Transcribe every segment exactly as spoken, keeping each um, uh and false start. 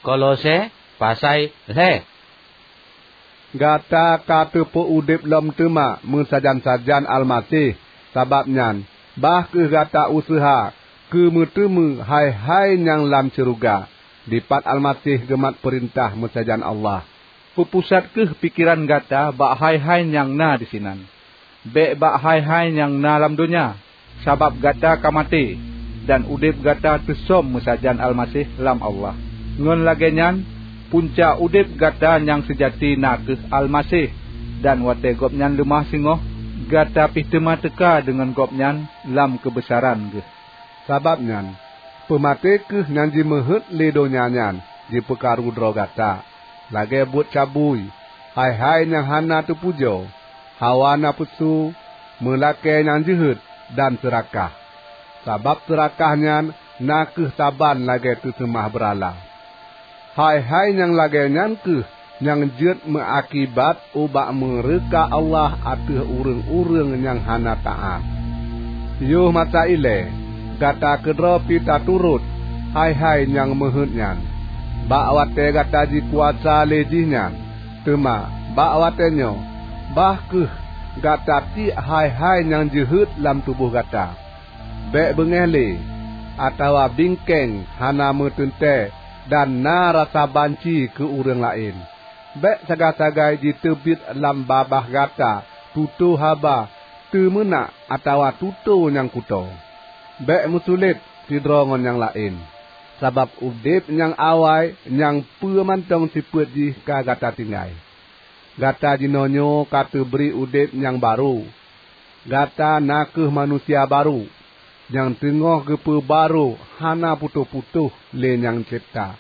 Kolose pasai lhée. Gata ka teupeu udeb lom teuma meusajan-sajan Almaseh, sabab nyan, bah kheueh gata useuha keu meuteumé hai-hai nyang lam syeuruga, dipat Almaseh geumat peurintah meusajan Allah. Peupusat kheueh pikeran gata bak hai-hai nyang na disinan, bék bak hai-hai nyang na lam donya, sabab gata ka maté, dan udeb gata teusöm meusajan Almaseh lam Allah. Ngon lagée nyan, punca udeb gata nyang seujati na kheueh Almaseh, dan watée Gobnyan leumah singoh, gata pih teuma teuka deungon Gobnyan lam keubeusaran Geuh. Sabab nyan, peumaté kheueh nyang jimeuheuet lé donya nyan jipeukaru droe gata, lagée buet cabui, hai-hai nyang hana teupujoe, hawa nafeusu, meulakée nyang jeuhet, dan seurakah. Sabab seurakah nyan na kheueh saban lagée teuseumah beurala. Hai-hai nyang lagée nyan kheueh nyang jeuet meuakibat ubak meureuka Allah ateueh ureuëng-ureuëng nyang hana taát. Yoh masa ilée, gata keudroe pih taturot hai-hai nyang meuheuet nyan, bak watée gata jikuasa lé jih nyan. Teuma bak watée nyoe, bah kheueh gata tiek hai-hai nyang jeuhet lam tuboh gata. Bék beungéh lé, atawa bingkeng hana meuteuntée dan na rasa banci keu ureuëng laén. Bék sagai-sagai jiteubiet lam babah gata tutoe haba teumeunak atawa tutoe nyang kutoe. Bék meusulet sidroe ngon nyang laén, sabab udeb nyang awai nyang peue mantong sifeuet jih ka gata tinggai. Gata jinoenyoe ka teubri udeb nyang barô. Gata na kheueh manusia barô, nyang teungoh geupeubarô hana putôh-putôh lé Nyang Cebta.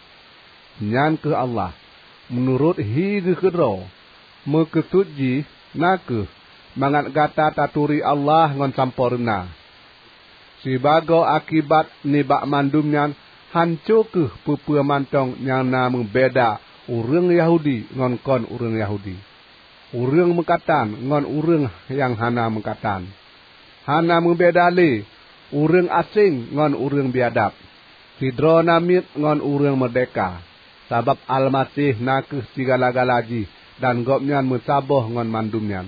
Nyan kheueh Allah, meunurot hi Geuh keudroe. Meukeusut jih na kheueh mangat gata taturi Allah ngon sampoereuna. Sibagoe akibat nibak mandum nyan, hanco kheueh peue-peue mantong nyang na meubeda ureuëng Yahudi ngon kon ureuëng Yahudi, ureuëng meukatan ngon ureuëng nyang hana meukatan. Hana meubeda lé ureuëng aséng ngon ureuëng biadab, sidroe namiet ngon ureuëng meurdehka, sabab Almaseh na kheueh sigala-gala jih dan Gobnyan meusaboh ngon mandum nyan.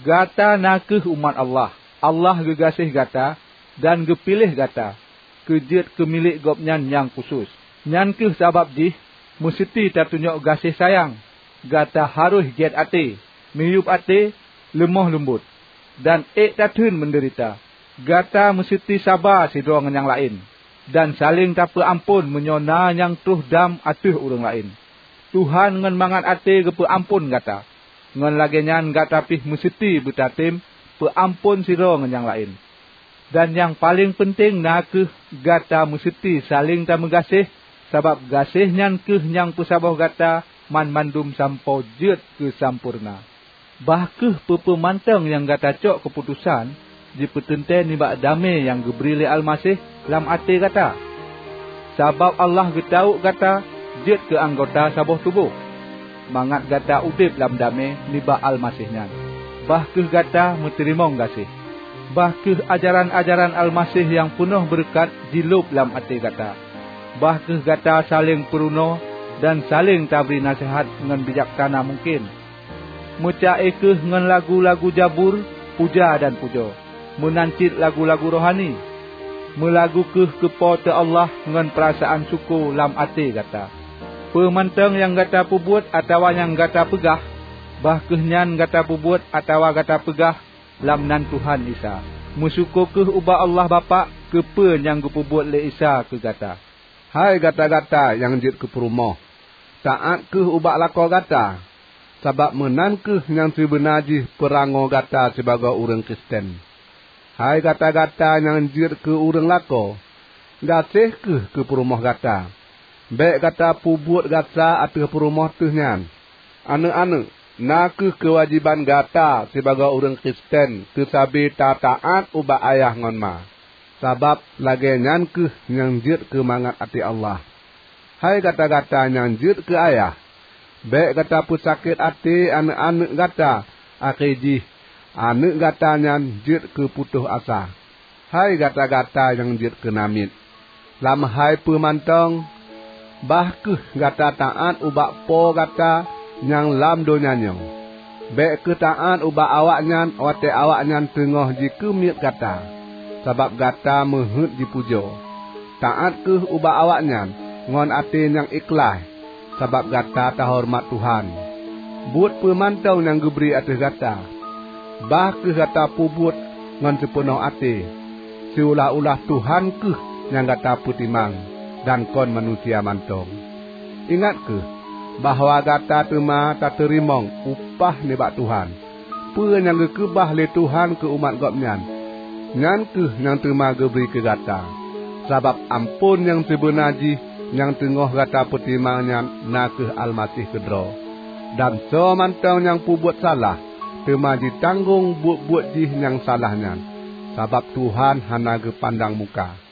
Gata na kheueh umat Allah. Allah geugaséh gata dan geupiléh gata keu jeuet keu milék Gobnyan nyang khusos. Nyan kheueh sabab jih meuseuti tatunyok gaséh sayang. Gata harôh gét até, miyueb até, leumoh leumbot, dan ék tatheun meudeurita. Gata meuseuti saba sidroe ngon nyang laén, dan saléng tapeuamphon meunyoe na nyang troh dam ateueh ureuëng laén. Tuhan ngon mangat até geupeuamphon gata. Ngon lagée nyan gata pih meuseuti beutatem peuamphon sidroe ngon nyang laén. Dan nyang paleng peunteng na kheueh gata meuseuti saléng tameugaséh, sabab gaséh nyan kheueh nyang peusaboh gata banmandum sampoe jeuet keu sampoereuna. Bah kheueh peue-peue mantong nyang gata cok keuputosan jipeuteuntée nibak damé nyang geubri lé Almaseh lam até gata. Sabab Allah geutawök gata jeuet keu anggota saboh tuboh, mangat gata udeb lam damé nibak Almaseh nyan. Bah kheueh gata meuteurimong gaséh. Bah kheueh ajaran-ajaran Almaseh nyang peunoh beureukat jilob lam até gata. Bah kheueh gata saléng peurunoe dan saléng tabri naseuhat ngon bijaksana mungken. Meuca-e kheueh ngon lagu-lagu zabur, puja dan pujoe, meunan cit lagu-lagu rohani. Meulagu kheueh keu Po teu Allah ngon peurasaan syukoe lam até gata. Peue mantong nyang gata peubuet atawa nyang gata peugah, bah kheueh nyan gata peubuet atawa gata peugah lam nan Tuhan Isa. Meusyukoe kheueh ubak Allah Bapak keu peue nyang geupeubuet lé Isa keu gata. Hai gata-gata nyang jeuet keu peurumoh, taát kheueh ubak lakoe gata, sabab meunan kheueh nyang sibeuna jih peurangoe gata sibagoe ureuëng Kristen. Hai gata-gata nyang jeuet keu ureuëng lakoe, gaséh kheueh keu peurumoh gata. Bék gata peubuet gasa ateueh peurumoh teuh nyan. Aneuëk-aneuëk, na kheueh keuwajéban gata sibagoe ureuëng Kristen keusabe tataát ubak ayah ngon ma, sabab lagée nyan kheueh nyang jeuet keu mangat até Allah. Hai gata-gata nyang jeuet keu ayah, bék gata peusakét até aneuëk-aneuëk gata, akhé jih aneuëk gata nyan jeuet keu putôh asa. Hai gata-gata nyang jeuet keu namiet, lam hai peue mantong, Bah kheueh gata taát ubak Po gata nyang lam donya nyoe. Bék kheueh taát ubak awaknyan watée awaknyan teungoh jikeumiet gata, sabab gata meuheuét jipujoe. Taát kheueh ubak awaknyan ngon até nyang ikhlaih, sabab gata tahoreumat Tuhan. Buet peue mantong nyang geubri ateueh gata, bah kheueh gata peubuet ngon sipeunoh até. Siulah-ulah Tuhan kheueh nyang gata peutimang, dan kon manusia mantong. Ingat kheueh bahwa gata teuma tateurimong upah nibak Tuhan. Peue nyang geukeubah lé Tuhan keu umat Gobnyan, nyan kheueh nyang teuma geubri keu gata. Sabab amphon nyang sibeuna jih nyang teungoh gata peutimang nyan na kheueh Almaseh keudroe. Dan soe mantong nyang peubuet salah, teuma jitanggong buet-buet jih nyang salah nyan, sabab Tuhan hana geupandang muka.